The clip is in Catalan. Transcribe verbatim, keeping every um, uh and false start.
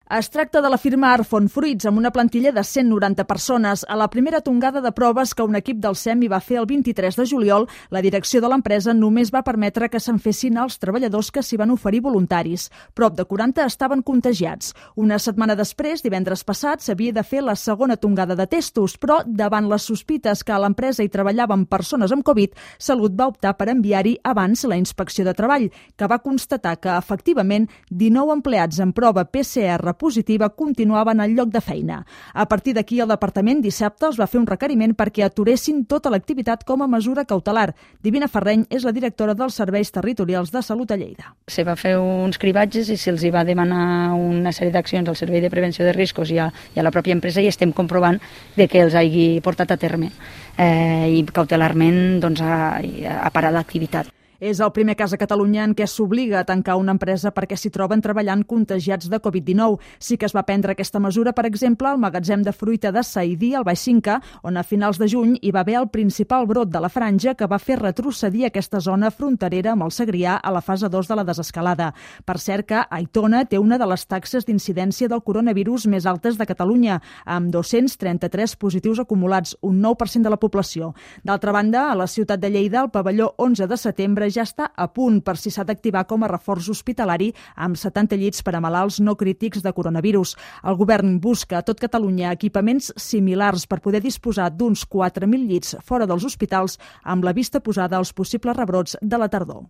Es tracta de la firma Arfon Fruits, amb una plantilla de cent noranta persones. A la primera tongada de proves que un equip del SEMI va fer el vint-i-tres de juliol, la direcció de l'empresa només va permetre que se'n fessin els treballadors que s'hi van oferir voluntaris. Prop de quaranta estaven contagiats. Una setmana després, divendres passat, s'havia de fer la segona tongada de testos, però davant les sospites que a l'empresa hi treballaven persones amb Covid, Salut va optar per enviar-hi abans la inspecció de treball, que va constatar que, efectivament, dinou empleats en prova P C R positiva continuaven al lloc de feina. A partir d'aquí, el departament dissabte els va fer un requeriment perquè aturessin tota l'activitat com a mesura cautelar. Divina Ferreny és la directora dels Serveis Territorials de Salut a Lleida. Se va fer uns cribatges i se'ls va demanar una sèrie d'accions al Servei de Prevenció de Riscos i a, i a la pròpia empresa i estem comprovant de que els hagi portat a terme eh, i cautelarment doncs, a, a parar l'activitat. És el primer cas a Catalunya en què s'obliga a tancar una empresa perquè s'hi troben treballant contagiats de Covid dinou. Sí que es va prendre aquesta mesura, per exemple, al magatzem de fruita de Saïdí, al Baix Cinca, on a finals de juny hi va haver el principal brot de la franja que va fer retrocedir aquesta zona fronterera amb el Segrià a la fase dos de la desescalada. Per cert que Aitona té una de les taxes d'incidència del coronavirus més altes de Catalunya, amb dos-cents trenta-tres positius acumulats, un nou per cent de la població. D'altra banda, a la ciutat de Lleida, el pavelló onze de setembre ja està a punt per si s'ha d'activar com a reforç hospitalari amb setanta llits per a malalts no crítics de coronavirus. El govern busca a tot Catalunya equipaments similars per poder disposar d'uns quatre mil llits fora dels hospitals amb la vista posada als possibles rebrots de la tardor.